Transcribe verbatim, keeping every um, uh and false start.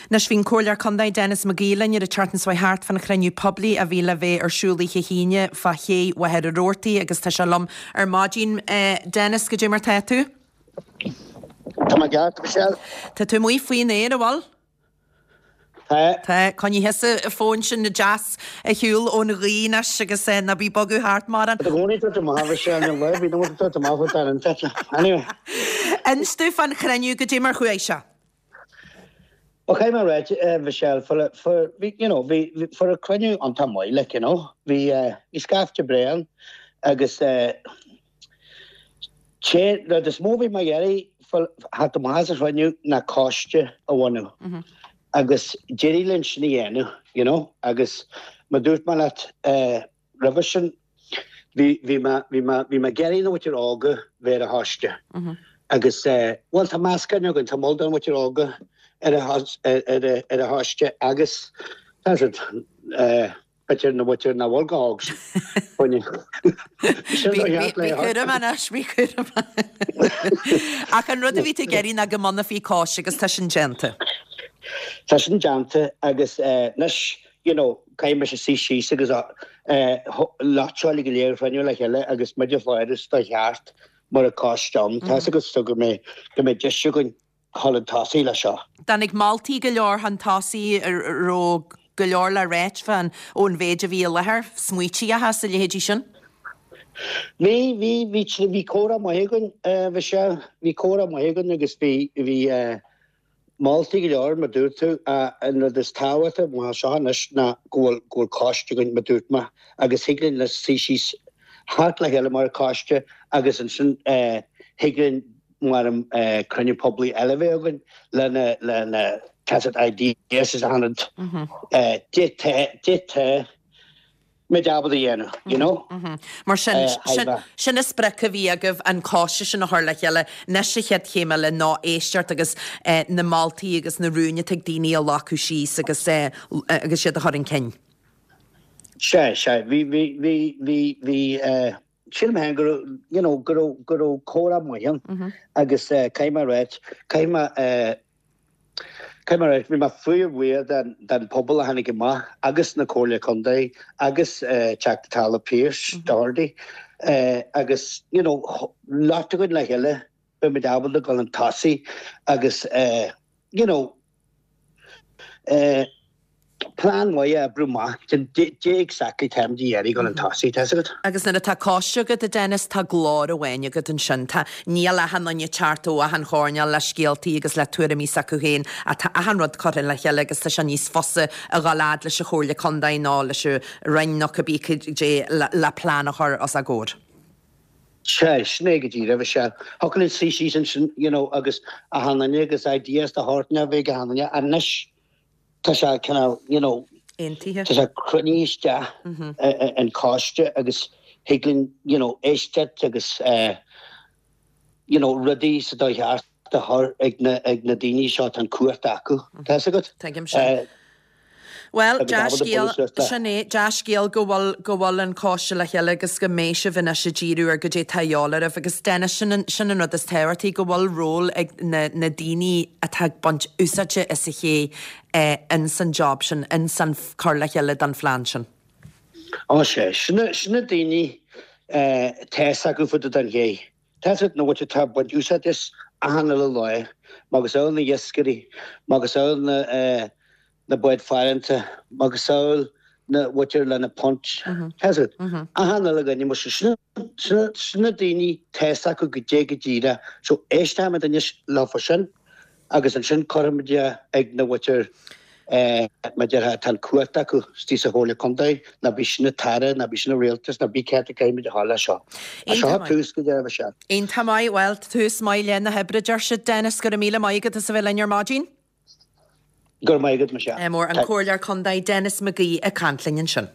Anois bhí an Comhairleoir Contae Denis McGee linn ar an tseachtain seo thart fan chruinniú poiblí a bhí le bheith ar siúl oíche hAoine fá ché Mhachaire Rabhartaigh agus tá sé liom ar maidin. Denis, goidé mar tá tú? Tá mé ceart, Michelle. Tá tú amuigh faoin aer, an bhfuil? Tá. Tá. Coinnigh thusa an fón sin deas ar shiúl ón ghaoth anois agus ná bí ag bogadh thart mórán. Tá gcónaí tú amach Michelle, ní bhí nó tú amach tá an Anyway. Inis domh fan chruinniú goidé mar chuaigh sé. Well, caithfidh mé a rá, Michelle, for, for, you know, bhí for a cruinniú iontach maith, like, you know, bhí uh, bhí scaifte breá ann agus uh, sé rud is mó bhí mé ag iarraidh theacht amach as an chruinniú ná coiste a bhunú. Mm -hmm. Agus d'éirigh linn sin a dhéanamh, you know, agus mar dúirt mé leat uh, roimhe sin bhí bhí mé bhí mé bhí mé ag iarraidh na muintir óga bheith ar an choiste. Mm -hmm. Agus uh, well tá meascán againn tá moll den mhuintir óga ar ar an choiste agus tá b'fhéidir na muintir nach bhfuil chomh hóg. Bí cúramach, bí cúramach. Ach an rud a bhí tú ag iarraidh ná go mbunófaí coiste agus tá sin déanta. Tá sin déanta agus anois you know, caithfidh mise suí síos agus láteáil go léir féine le chéile agus muid a chláras do cheart mar a coiste. Tá agus go mbeidh go mbeidh deis againn chun an tosaigh le seo. Tháinig moltaí go leor chun tosaigh raibh go leor le rá fan ón mhéid a bhí i láthair, smaointe sa leithéidí sin? Bhí bhí bhí bhí comhrá maith againn bhí sé bhí comhrá maith againn agus bhí bhí moltaí go leor mar dúirt tú an rud is tábhachtaí mar seo anois ná go bhfuil go bhfuil coiste againn mar dúirt mé agus thig linn le suí síos thart le chéile mar coiste agus ansin thig linn mar an cruinniú poiblí eile bheith againn lena lena tacet ideas is anad dit muid ábalta a dhéanamh, you know? Mar sin sin an sprioc a bhí agaibh an coiste sin a chur le chéile anois an chéad chéim eile ná éisteacht agus na moltaí agus na rúin atá ag daoine a ghlacadh síos agus agus siad a chur chun cinn. Sé sé bhí bhí bhí bhí bhí sílim féin go you know go raibh go raibh comhrá maith ann agus caithfidh mé a rá caithfidh mé caithfidh mé a rá bhí mé fíorbhuíoch den den pobal a tháinig amach agus na Comhairle Contae agus Teachta Dála Pearse Doherty agus you know lot againn le chéile beidh muid ábalta dul chun tosaigh agus you know plean maith a oibriú amach dé exactly táimid ag iarraidh dul chun tosaigh tá agat. Agus nuair atá coiste agat a Dennis tá glór amháin agat ansin tá níl achan duine ag teacht ó achan choirnéal le scéaltaí agus le tuairimí s'acu féin tá achan rud curtha le chéile agus tá sé níos fusa a dhul fhad leis an Chomhairle Contae nó leis an Roinn nó cibé cé le, le plean a chur os a gcomhair. Sé sin é go díreach sé. Thiocfadh linn suí síos ansin you know, agus achan duine agus ideas de shórt na bheith achan duine anois tá sé cineál you know, Aontaithe. Tá sé cruinnithe isteach an coiste agus thig linn you know, éisteacht agus uh, you know, rudaí sa dóigh cheart a chur ag na, ag na daoine seo tá an cumhacht acu. Tá agat? Tuigim sin. Well, dea-scéal sin é dea-scéal go bhfuil go bhfuil an coiste le chéile agus go mbeidh sibh anois ag díriú ar goidé atá de dhíobháil oraibh agus Dennis sin an, sin an rud is tábhachtaí go bhfuil ról ag na, na daoine atá ag baint úsáide as an ché eh, in san job sin in san cur le chéile don phlean sin. Á sé sin sin na daoine tá acu fud den ché. Tá na bhfuil tá baint úsáid as achan uile lá, agus eil na iascairí, agus eil na uh, na báid farantacha, agus eil na bhfuil lena punt. Tá achan uile dhuine mar sin sin na daoine tá acu go dé go díreach, so éistfimid anois leofa sin agus ansin cuirfimid ag na bhfuil mar deir tá an cumhacht acu istigh sa Chomhairle Contae ná bí sin na tAire ná bí sin na rialtas ná bí cé caithfimid a thála seo. A seo tús go deireadh se. Iontach maith well tús maith le na hoibre deir siad Dennis go raibh míle maith agat as a bheith linn ar maidin. Gur maigad me se. Mór an Comhairleoir Contae Denis McGee ag caint linn ansin.